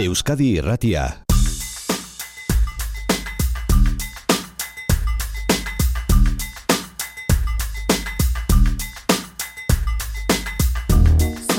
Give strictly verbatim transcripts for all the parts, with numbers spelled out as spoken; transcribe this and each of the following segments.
Euskadi Irratia.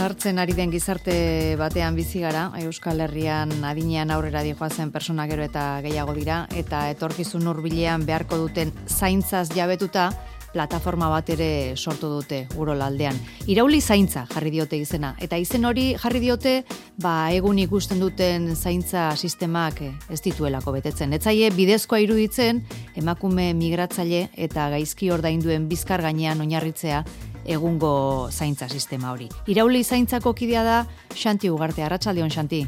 Sartzen ari den gizarte batean bizi gara, Euskal Herrian adinean aurrera dijoazen persona gero eta gehiago dira, eta etorkizun hurbilean beharko duten zaintzaz jabetuta, plataforma bat ere sortu dute Urolaldean. Irauli zaintza jarri diote izena, eta izen hori jarri diote, ba egun ikusten duten zaintza sistemak ez dituelako betetzen. Etzaie bidezkoa iruditzen, emakume migratzaile eta gaizki ordainduen bizkar gainean oinarritzea egungo zaintza sistema hori. Irauli zaintzako kidea da Xanti Ugarte. Arratsaldeon, Xanti.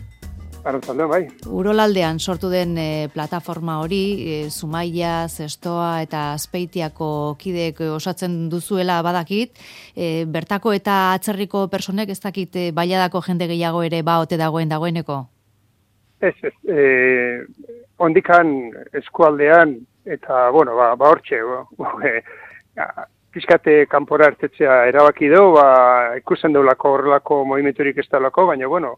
Arratsaldeon, bai. Urolaldean sortu den e, plataforma hori, e, Zumaia, Zestoa eta Azpeitiako kideek osatzen duzuela badakit, e, bertako eta atzerriko personek ez dakit e, bailadako jende gehiago ere baote dagoen dagoeneko? Ez, ez. E, ondikan eskualdean eta, bueno, ba, ba hortxe, ba, e, Piskate kanpora hartetzea erabaki du, ba, ikusten deulako horrelako movimenturik ez daulako, baina, bueno,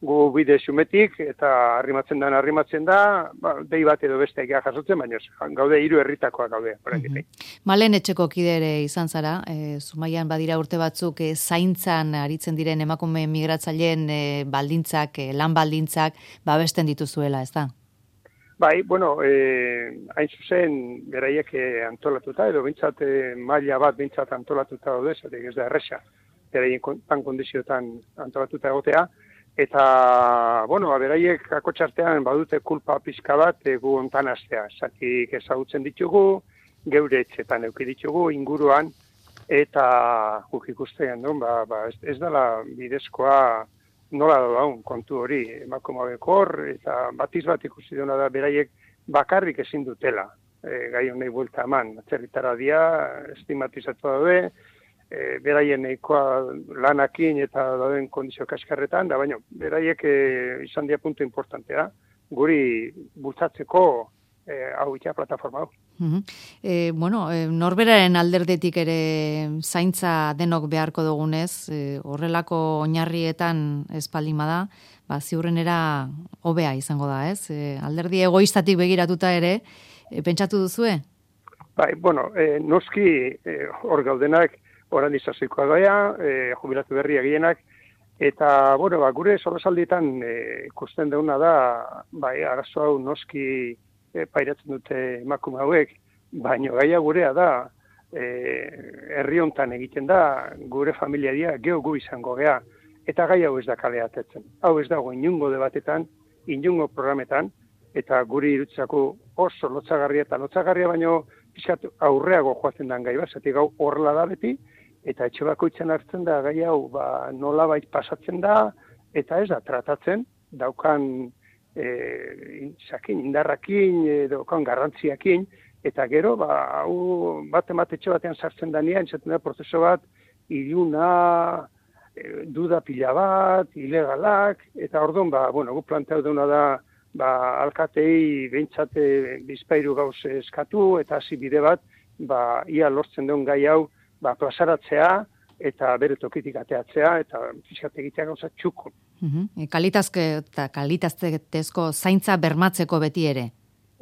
gu bide xumetik eta arrimatzen da, arrimatzen da, ba, dei bat edo beste egia jasotzen, baina gaude hiru herritakoak gaude. Mm-hmm. Malen etxeko kide ere izan zara, e, Zumaian badira urte batzuk e, zaintzan aritzen diren emakume migratzaileen e, baldintzak, e, lan baldintzak, babesten dituzuela, ez da? Bai, bueno, eh, hain zuzen beraiek antolatuta, edo bintzat eh, maila bat bintzat antolatuta daude, zatek ez da erresa, beraien tan kondiziotan antolatuta egotea, eta, bueno, beraiek akotxartean badute kulpa pizka bat egu ontan astea, zatik ezagutzen ditugu, geure etxetan euki ditugu, inguruan, eta guk ikustean, no? ba, ba, ez, ez dela bidezkoa, nola daun kontu hori, emakumabeko hor, eta batiz bat ikusi duena da beraiek bakarrik ezin dutela. E, gai honei buelta eman, atzerritara dia, estigmatizatu daude, e, beraien nahikoa lanakin eta dauden kondizio kaskarretan, da baina beraiek e, izan dia puntu importantea, guri bultzatzeko e, hau itea plataforma hau. Uh-huh. E, bueno, e, norberaren alderdetik ere zaintza denok beharko dugunez, e, horrelako oinarrietan espaldima da, ba, ziurrenera hobea izango da, ez? E, alderdi egoistatik begiratuta ere, e, pentsatu duzue? Bai, bueno, e, noski e, hor gaudenak, oran izazikoa gaia, e, jubilatu berria gehienak, eta, bueno, ba, gure solosaldietan e, ikusten deuna da, bai, arazo hau noski E, pairatzen dute emakume hauek, baina gaia gurea da, e, herri hontan egiten da, gure familia dia, geho gu izango gea, eta gai hau ez da kale atetzen. Hau ez dago inungo debatetan, inungo programetan, eta guri irutzako oso lotzagarria eta lotzagarria, baino pixkat aurreago joazen den gai bat, zatik hau horrela da beti, eta etxe bakoitzen hartzen da gai hau ba, nolabait pasatzen da, eta ez da tratatzen, daukan E, sakin, indarrakin, edo kan garrantziakin, eta gero, ba, hau bat ematetxe batean sartzen da nian, entzaten da prozeso bat, iluna, e, duda pila bat, ilegalak, eta orduan, ba, bueno, gu planteau deuna da, ba, alkatei behintzate bizpairu gauz eskatu, eta hasi bide bat, ba, ia lortzen duen gai hau, ba, plazaratzea, eta bere tokitik ateatzea, eta fiskat egitea gauza txuko. Uh-huh. Kalitazke eta kalitatezko zaintza bermatzeko beti ere.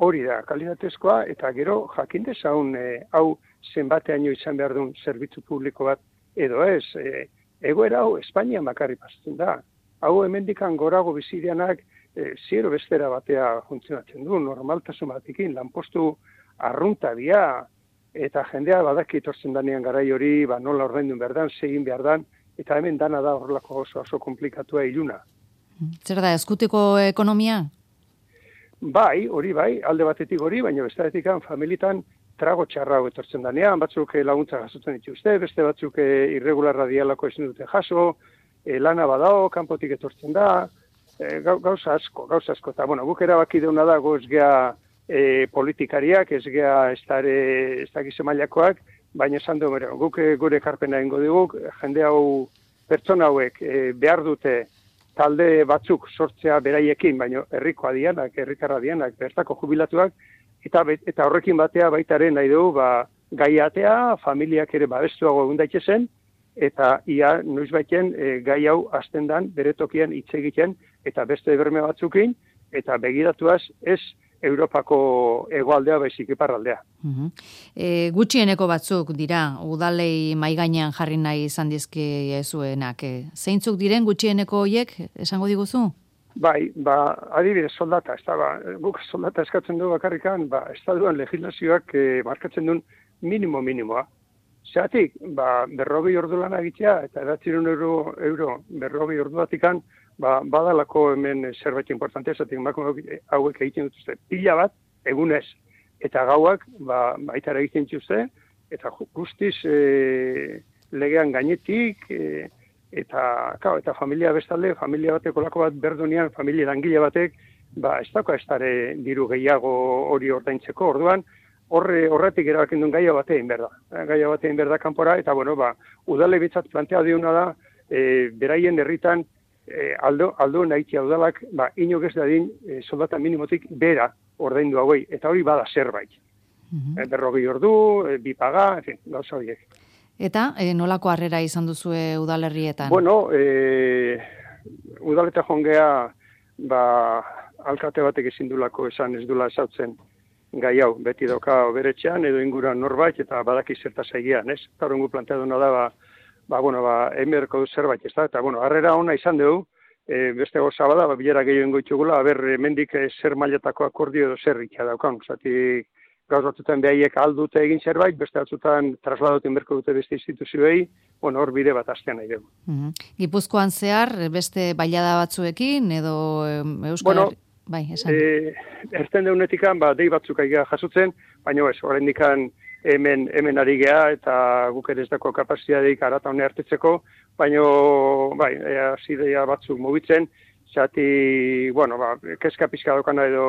Hori da, kalitatezkoa, eta gero jakin dezaun e, hau zenbateaino izan behar duen zerbitzu publiko bat, edo ez, e, egoera hau Espainian bakarri pasatzen da. Hau hemendikan gorago bizidianak e, ziero bestera batea funtzionatzen du, normaltasun batikin, lanpostu arrunta dia, eta jendea badaki etortzen danean garai hori, ba, nola ordaindun behar dan, segin behar dan, eta hemen dana da horrelako oso oso komplikatua iluna. Zer da, eskutiko ekonomia? Bai, hori bai, alde batetik hori, baina bestatetik familitan trago txarra etortzen danean, batzuk laguntza jasotzen dituzte, beste batzuk irregularra dialako ezin dute jaso, e, lana badao, kanpotik etortzen da, e, gauza asko, gauza asko. Eta, bueno, guk erabaki deuna da, goz gea e, politikariak, ez gea ez dakize mailakoak, baina esan du, guk gure ekarpena egingo diguk, jende hau pertsona hauek e, behar dute talde batzuk sortzea beraiekin, baina herrikoa dianak, herrikarra dianak, bertako jubilatuak, eta, eta horrekin batea baitaren nahi dugu, ba, gaiatea, familiak ere babestuago egun daitezen, eta ia noiz baiten e, gai hau hasten dan bere tokian hitz egiten eta beste berme batzukin, eta begiratuaz ez Europako hegoaldea baizik iparraldea. Uh-huh. E, gutxieneko batzuk dira, udalei maigainean jarri nahi izan dizkiezuenak. E, zeintzuk diren gutxieneko hoiek, esango diguzu? Bai, ba, adibidez soldata, ez da, ba, guk soldata eskatzen du bakarrikan, ba, estatuan legislazioak e, markatzen duen minimo minimoa. Zeratik, ba, berrobi ordu lan egitea, eta edatzirun euro, euro berrobi ordu batikan, ba, badalako hemen zerbait importante, esatik emakume hauek egiten dutuzte pila bat, egunez, eta gauak, ba, baitara egiten dituzte, eta guztiz e, legean gainetik, e, eta, kao, eta familia bestalde, familia batek olako bat berdunean, familia langile batek, ba, ez dako ez dara diru gehiago hori ordaintzeko, orduan, horre, horretik erabakin duen gaia batein berda. Gaia batein berda kanpora, eta bueno, ba, udale bitzat plantea diuna da, e, beraien herritan, E, aldo, aldo nahitia udalak, ba, inok ez dadin e, soldata minimotik bera ordaindu hauei, eta hori bada zerbait. Uh-huh. E, berrogi ordu, e, bi paga, en fin, gauza horiek. Eta e, nolako harrera izan duzue udalerrietan? Bueno, e, udaleta jongea, ba, alkate batek ezin dulako esan ez dula esautzen gai hau, beti doka beretxean, edo inguruan norbait, eta badaki zertaz egian, ez? Eta horrengu planteaduna da, ba, ba, bueno, ba, emerko zerbait, ez da, eta, bueno, harrera ona izan dugu, e, beste goza bada, ba, bilera gehiago ingoitxugula, haber, mendik e, zer mailatako akordio edo zer ikia daukan, zati, gauz batzutan behaiek aldute egin zerbait, beste batzutan trasladoten berko dute beste instituzioei, bueno, hor bide bat astean nahi dugu. Uh-huh. Gipuzkoan zehar, beste bailada batzuekin, edo Euskal... Bueno, bai, esan. E, erten deunetikan, ba, dei batzuk aiga jasotzen, baina ez, horrein dikan, hemen, hemen ari geha, eta guk ere ez dako kapazitateik arata hone hartetzeko, baina, bai, zidea batzuk mugitzen, zati, bueno, ba, kezka pizka daukana edo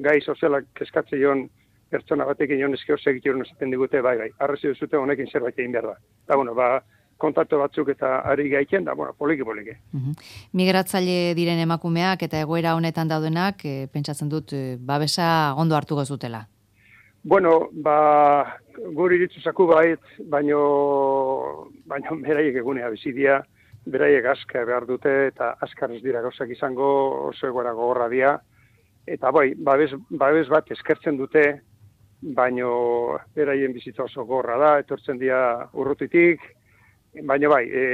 gai sozialak kezkatze joan pertsona batekin joan ezkeo segitioren esaten digute, bai, bai, arrezi duzute honekin zerbait egin behar da. Eta, bueno, ba, kontaktu batzuk eta ari gaitzen, da, bueno, poliki-poliki. Uh-huh. Migratzaile diren emakumeak eta egoera honetan daudenak, e, pentsatzen dut, e, babesa ondo hartuko zutela. Bueno, ba, guri ditzuzaku bait, baino, baino beraiek egunea bizidia, beraiek aska behar dute, eta askar ez dira gauzak izango, oso egoera gogorra dira, eta bai, babes, babes bat eskertzen dute, baino beraien bizitza oso gogorra da, etortzen dira urrutitik, baina bai, e,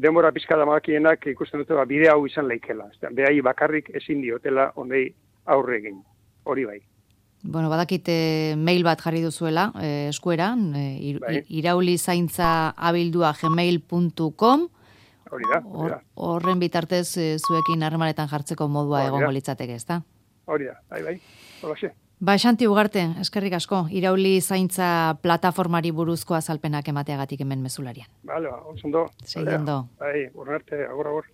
denbora pizka da makienak ikusten dute, ba, bide hau izan leikela, behai bakarrik ezin diotela ondei aurre egin, hori bai. Bueno, badakit mail bat jarri duzuela, eh, eskueran, eh, ir, bai. iraulizaintza abildua gmail puntu com. Hori da, hori da. Horren bitartez eh, zuekin harremanetan jartzeko modua egongo litzateke, ezta? Hori da, bai, bai, hori Ba, Xanti Ugarte, eskerrik asko, Irauli Zaintza plataformari buruzko azalpenak emateagatik hemen mezularian. Bale, ba, ondo. Segi ondo. Bai, urrarte, agor, agor.